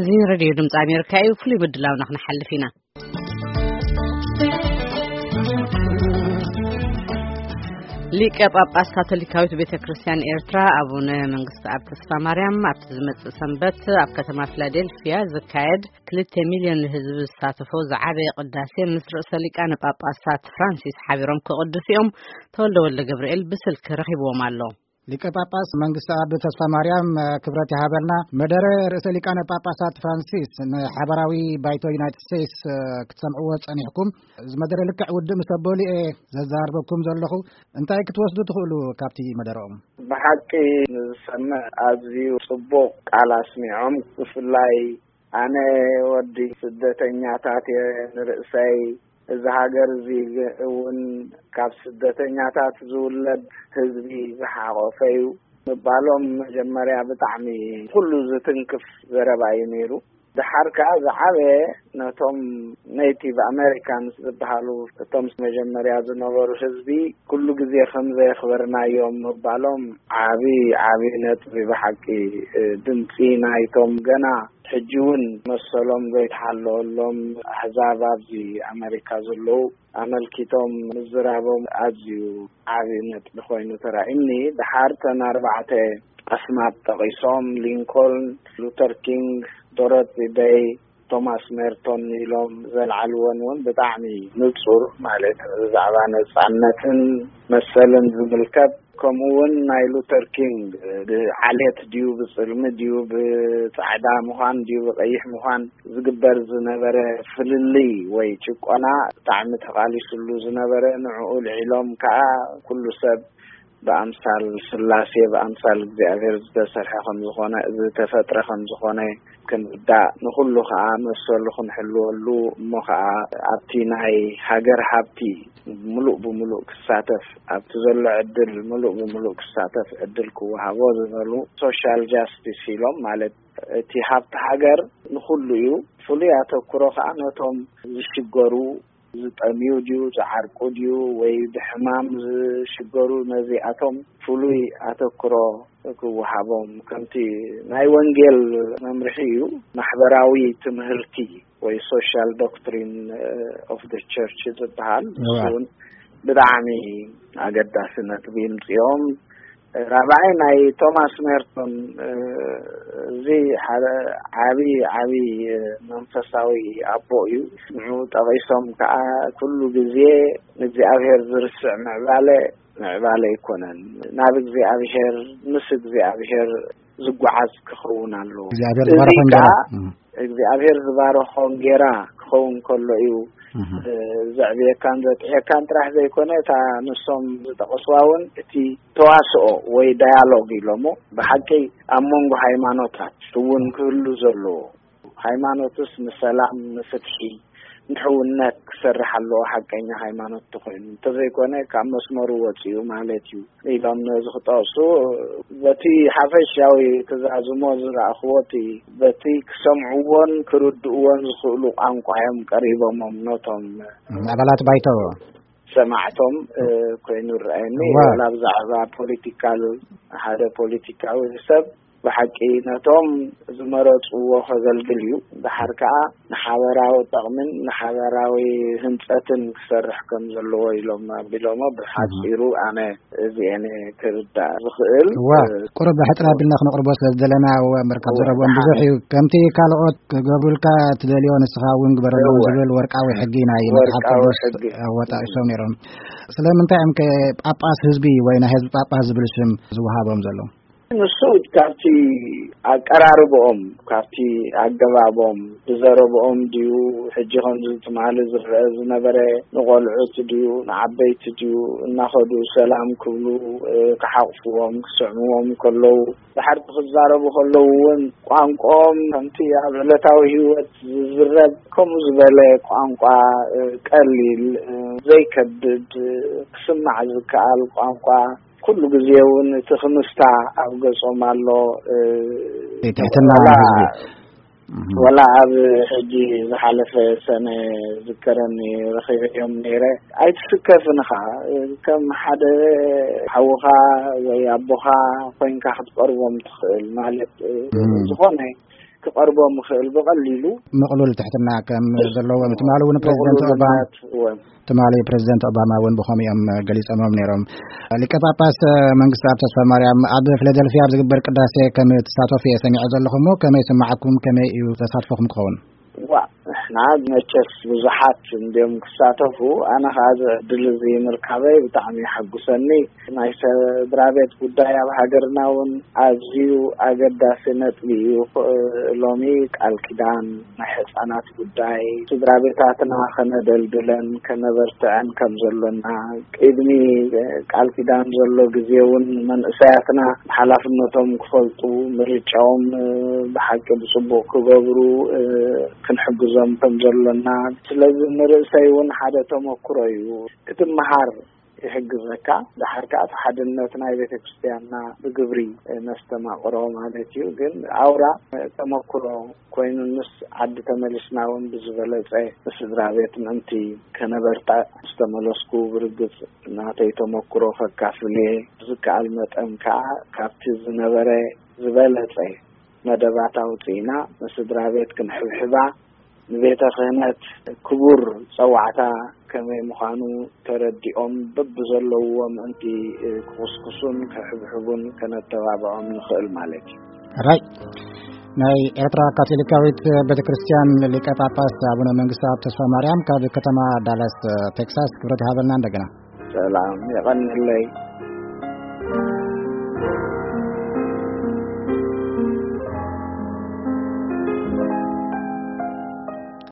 እዚ ሬድዮ ድምፂ ኣሜሪካ እዩ። ፍሉይ ምድላውና ክንሓልፍ ኢና። ሊቀ ጳጳስ ካቶሊካዊት ቤተ ክርስቲያን ኤርትራ ኣቡነ መንግስቲ ኣብ ተስፋ ማርያም ኣብቲ ዝመጽእ ሰንበት ኣብ ከተማ ፊላዴልፊያ ዝካየድ ክልተ ሚልዮን ህዝቢ ዝሳተፎ ዝዓበየ ቅዳሴ ምስ ርእሰ ሊቃነ ጳጳሳት ፍራንሲስ ሓቢሮም ክቕድሱ እዮም። ተወልደ ወልደ ገብርኤል ብስልኪ ረኺብዎም ኣሎ። ሊቀ ጳጳስ መንግስቲ ኣብ ተስፋ ማርያም ክብረት ይሃበልና። መደረ ርእሰ ሊቃነ ጳጳሳት ፍራንሲስ ንሓበራዊ ባይቶ ዩናይትድ ስቴትስ ክትሰምዕዎ ጸኒሕኩም። እዚ መደረ ልክዕ ውድእ ምስ ኣበሉ እየ ዘዛርበኩም ዘለኹ። እንታይ ክትወስዱ ትኽእሉ ካብቲ መደረኦም? ብሓቂ ንዝሰምዕ ኣዝዩ ጽቡቕ ቃል ኣስሚዖም። ብፍላይ ኣነ ወዲ ስደተኛታት እየ ንርእሰይ። እዚ ሃገር እዚ እውን ካብ ስደተኛታት ዝውለድ ህዝቢ ዝሓቖፈ እዩ ምባሎም መጀመርያ ብጣዕሚ ኩሉ ዝትንክፍ ዘረባ እዩ ነይሩ። ደሓር ከኣ ዝዓበየ ነቶም ኔቲቭ ኣሜሪካንስ ዝበሃሉ እቶም መጀመርያ ዝነበሩ ህዝቢ ኩሉ ግዜ ከም ዘየኽበርናዮም ምባሎም ዓቢ ዓቢ ነጥቢ ብሓቂ። ድምፂ ናይቶም ገና ሕጂ እውን መሰሎም ዘይተሓለወሎም ኣህዛብ ኣብዚ ኣሜሪካ ዘለዉ ኣመልኪቶም ምዝራቦም ኣዝዩ ዓቢ ነጥቢ ኮይኑ ተራእዩኒ። ደሓር ተን ኣርባዕተ ኣስማት ጠቒሶም፣ ሊንኮልን፣ ሉተር ኪንግ፣ ዶሮቲ ደይ፣ ቶማስ ሜርቶን ኢሎም ዘልዓልወን እውን ብጣዕሚ ንጹር፣ ማለት ብዛዕባ ነጻነትን መሰልን ዝምልከት፣ ከምኡ እውን ናይ ሉተር ኪንግ ብዓሌት ድዩ፣ ብጽልሚ ድዩ፣ ብጻዕዳ ምዃን ድዩ፣ ብቐይሕ ምዃን ዝግበር ዝነበረ ፍልልይ ወይ ጭቆና ብጣዕሚ ተቓሊስሉ ዝነበረ፣ ንዕኡ ልዒሎም ከኣ ኩሉ ሰብ ብኣምሳል ስላሴ፣ ብኣምሳል እግዚኣብሔር ዝተሰርሐ ከም ዝኾነ፣ ዝተፈጥረ ከም ዝኾነ ክንርዳእ፣ ንኹሉ ከኣ መሰሉ ክንሕልወሉ፣ እሞ ከኣ ኣብቲ ናይ ሃገር ሃብቲ ምሉእ ብምሉእ ክሳተፍ፣ ኣብቲ ዘሎ ዕድል ምሉእ ብምሉእ ክሳተፍ ዕድል ክወሃቦ ዝበሉ፣ ሶሻል ጃስቲስ ኢሎም፣ ማለት እቲ ሃብቲ ሃገር ንኹሉ እዩ። ፍሉይ ኣተኩሮ ከኣ ነቶም ዝሽገሩ፣ ዝጠምዩ ድዩ፣ ዝዓርቁ ድዩ፣ ወይ ብሕማም ዝሽገሩ፣ ነዚኣቶም ፍሉይ ኣተኩሮ ክወሃቦም፣ ከምቲ ናይ ወንጌል መምርሒ እዩ። ማሕበራዊ ትምህርቲ ወይ ሶሻል ዶክትሪን ኦፍ ደ ቸርች ዝበሃል፣ እዋ። እሱ እውን ብጣዕሚ ኣገዳሲ ነጥቢ ምጽኦም። ራብዓይ ናይ ቶማስ ሜርቶን፣ እ፣ እዚ ሓደ ዓቢ፣ ዓቢ፣ እ፣ መንፈሳዊ ኣቦ እዩ። ንዑ ጠቒሶም ከኣ ኩሉ ግዜ ንእግዚኣብሔር ዝርስዕ ምዕባለ፣ ምዕባለ ኣይኮነን። ናብ እግዚኣብሔር፣ ምስ እግዚኣብሔር ዝጓዓዝ ክኸውን ኣለዎ። እግዚኣብሔር እዚ ዝበረኸን ከኣ ገራ። እም። እግዚኣብሔር ዝባረኾ እንጌራ ክኸውን ከሎ እዩ፣ እህ። እ፣ ዘዕብየካን ዘጥዕየካን ጥራሕ ዘይኮነ፣ እታ ንሶም ዝጠቐስዋ እውን እቲ ተዋስኦ ወይ ዳያሎግ ኢሎሞ፣ ብሓቂ ኣብ መንጎ ሃይማኖታት እውን ክህሉ ዘለዎ። ሃይማኖትስ ንሰላም፣ ንፍትሒ፣ ንሕውነት ክሰርሕ ኣለዎ፣ ሓቀኛ ሃይማኖት ተኾይኑ። እንተዘይኮነ ካብ መስመሩ ወፂኡ ማለት እዩ። ኢሎም ነዚ ክጠቕሱ፣ በቲ ሓፈሻዊ ክዛዝሞ ዝረኣኽዎ፣ እቲ በቲ ክሰምዕዎን ክርድእዎን ዝኽእሉ ቋንቋ እዮም ቀሪቦሞም፣ ነቶም ኣባላት ባይቶ። ሰማዕቶም፣ እ፣ ኮይኑ ይረኣየኒ። እዋ። ዋላ ብዛዕባ ፖለቲካል፣ ሓደ ፖለቲካዊ ሰብ ብሓቂ ነቶም ዝመረጽዎ ከገልግል እዩ። ድሓር ከኣ ንሓበራዊ ጠቕምን ንሓበራዊ ህንጸትን ክሰርሕ ከም ዘለዎ ኢሎም ኣቢሎሞ። ብሓጺሩ ኣነ እዚኤን ክርዳእ ዝኽእል። እዋ፣ እ፣ ቁሩብ ሕጽር ኣቢልና ክነቕርቦ ስለ ዝደለና፣ እወ፣ እምበር ካብ እወ፣ ዘረብኦም ደሓን። ብዙሕ እዩ። ከምቲ ካልኦት ክገብሩልካ ትደልዮ ንስኻ እውን ግበረሎም እወ። ዝብል ወርቃዊ ሕጊ ናይ መጽሓፍ ወርቃዊ ቅዱስ ሕጊ። ኣወጣጢሶም ነይሮም። ስለምንታይ እዮም ከ ጳጳስ ህዝቢ ወይ ናይ ህዝቢ ጳጳስ ዝብል ሽም ዝወሃቦም ዘሎ? ንሱ ካብቲ ኣቀራርብኦም፣ ካብቲ ኣገባቦም፣ ብዘረብኦም ድዩ፣ ሕጂ ከምዚ ትማሊ ዝረአ ዝነበረ፣ ንቖልዑት ድዩ፣ ንዓበይቲ ድዩ፣ እናኸዱ ሰላም ክብሉ፣ እ፣ ክሓቑፍዎም፣ ክስዕምዎም ከለዉ፣ ድሓርቲ ክዛረቡ ከለዉ እውን ቋንቋኦም ከምቲ ኣብ ዕለታዊ ህይወት ዝዝረብ ከምኡ ዝበለ ቋንቋ፣ እ፣ ቀሊል፣ እ፣ ዘይከብድ፣ እ፣ ክስማዕ ዝከኣል ቋንቋ፣ ኩሉ ግዜ እውን እቲ ክምስታ ኣብ ገጾም ኣሎ። እ፣ ትሕትና ዋላ፣ ህዝቢ። እህ። ዋላ ኣብ ሕጂ ዝሓለፈ ሰነ ዝከረኒ ረኺበዮም ነይረ። ኣይትስከፍን ኢኻ፣ ከም ሓደ ሓውኻ ወይ ኣቦኻ ኮይንካ ክትቀርቦም ትኽእል። ማለት፣ እ፣ እም። ዝኾነ ክቐርቦም ይኽእል ብቐሊሉ። ምቕሉል ትሕትና ከም ዘለዎም ትማሊ እውን ፕሬዚደንት ኦባማ ምቕሉልነት፣ እወ። ትማሊ ፕሬዚደንት ኦባማ እውን ብኸምኡ እዮም ገሊጾሞም ነይሮም። ሊቀ ጳጳስ መንግስቲ ኣብ ተስፋ ማርያም ኣብ ፊላደልፊያ ኣብ ዝግበር ቅዳሴ ከም ትሳተፉ እየ ሰሚዐ ዘለኹ እሞ ከመይ ይስምዓኩም? ከመይ እዩ ተሳትፎኹም ክኸውን? ዋ፣ ንሕና መቸስ ብዙሓት እንዲዮም ክሳተፉ፣ ኣነ ኸዓ እዚ ዕድል እዚ ምርካበይ ብጣዕሚ የሐጉሰኒ። ናይ ስድራ ቤት ጉዳይ ኣብ ሃገርና እውን ኣዝዩ ኣገዳሲ ነጥቢ እዩ። ሎሚ ቃል ኪዳን ናይ ህፃናት ጉዳይ ስድራ ቤታትና ከነደልድለን ከነበርትዐን ከም ዘሎና፣ ቅድሚ ቃል ኪዳን ዘሎ ግዜ እውን መንእሰያትና ሓላፍነቶም ክፈልጡ፣ ምርጫኦም ብሓቂ ብፅቡቕ ክገብሩ ክንሕግዞም ከም ዘሎና፣ ስለዚ ንርእሰይ እውን ሓደ ተመክሮ እዩ። ክትመሃር ይሕግዘካ። ደሓር ከኣ እቲ ሓድነት ናይ ቤተ ክርስቲያንና ብግብሪ ነስተማቕሮ ማለት እዩ። ግን ኣውራ ተመክሮ ኮይኑ፣ ምስ ዓዲ ተመሊስና እውን ብዝበለጸ ስድራ ቤት ምእንቲ ከነበርታ ምስ ተመለስኩ፣ ብርግጽ ናተይ ተመክሮ ከካፍል እየ። ብዝከኣል መጠን ከኣ ካብቲ ዝነበረ ዝበለጸ መደባት ኣውጺእና ንስድራ ቤት ክንሕብሕባ፣ ንቤተ ክህነት ክቡር ጸዋዕታ ከመይ ምዃኑ ተረዲኦም በብዘለውዎ ምእንቲ ክኹስኩሱን ክሕብሕቡን ከነተባብዖም ንኽእል ማለት እዩ። ራይ ናይ ኤርትራ ካቶሊካዊት ቤተ ክርስቲያን ሊቀ ጳጳስ ኣቡነ መንግስቱ ኣብ ተስፋ ማርያም ካብ ከተማ ዳላስ ቴክሳስ ክብረት ይሃበልና። እንደገና ሰላም የቐንለይ።